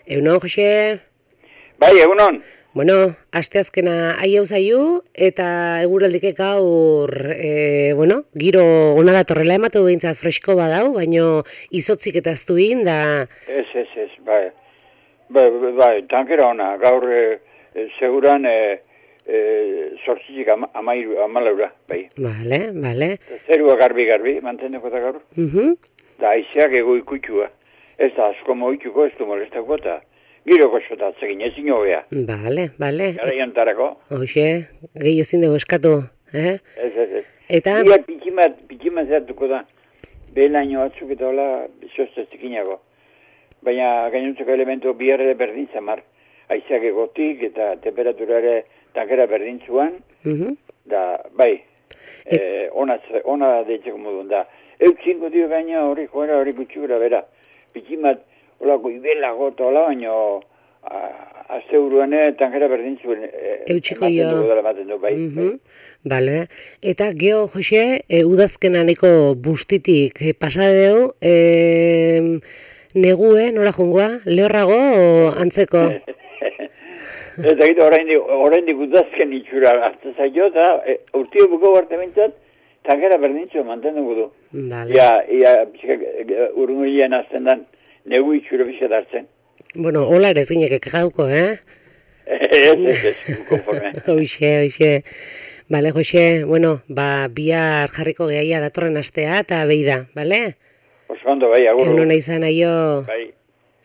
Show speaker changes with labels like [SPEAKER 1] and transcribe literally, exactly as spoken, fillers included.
[SPEAKER 1] Egunon, Jose?
[SPEAKER 2] Bai, egunon.
[SPEAKER 1] Bueno, asteazkena aiau zaiu eta eguraldike gaur, e, bueno, giro ona datorrela ematu behintzat fresko badau, baino izotzik eta aztuin da...
[SPEAKER 2] Ez, ez, ez, bai. Bai, bai, tankera ona, gaur e, e, seguran e, e, sortzizik ama, amairu, amalaura, bai.
[SPEAKER 1] Bale, bale.
[SPEAKER 2] Zerua garbi-garbi, mantendeko da gaur.
[SPEAKER 1] Mhm.
[SPEAKER 2] Da, aizeak ego ikutxua. Ez da, asko moituko, ez du molestako eta giro gozotatzegin, ezin hobea.
[SPEAKER 1] Bale, bale.
[SPEAKER 2] Gara jantarako.
[SPEAKER 1] Hoxe, gehi ezin dugu eskatu, eh?
[SPEAKER 2] Ez, ez, ez.
[SPEAKER 1] Eta...
[SPEAKER 2] Ia pikimat, pikimat zertuko da. Behelaino batzuk eta hola, sosteztikinago. Baina gainontzeko elementu biharre berdin zamar. Aizeak egotik eta temperatura ere tankera berdintzuan.
[SPEAKER 1] Mhm.
[SPEAKER 2] Da, bai, e, ona, ona deitzeko modun da. Eutzinko dio gaina hori joera hori gutxikura bera. Pikimat, holako ibelago eta hola, baina azte uruan tankera berdintzuen e,
[SPEAKER 1] Eutxiko jo.
[SPEAKER 2] ematen du, bai, bai.
[SPEAKER 1] Bale, eta geho, Jose, e, udazkenaneko bustitik e, pasadeu, e, negue, nola jungoa, lehorrago o antzeko?
[SPEAKER 2] Eta gitu, oraindik udazken itxura hartu zaio, eta e, urtio buko barte bintzat, tankera berdintzuen mantenduko du.
[SPEAKER 1] Bale.
[SPEAKER 2] Ia, ia, urrungulian azten dan, negu itxura bizat hartzen.
[SPEAKER 1] Bueno, hola ere ez ginek ekajauko, eh?
[SPEAKER 2] Ez, ez, ez, konforme.
[SPEAKER 1] Hoxe, hoxe. Bale, Jose, bueno, ba, bihar jarriko gehaia datorren astea eta behi da, bale?
[SPEAKER 2] Oso ondo, bai, agur.
[SPEAKER 1] Egun hona izan aio.
[SPEAKER 2] Bai.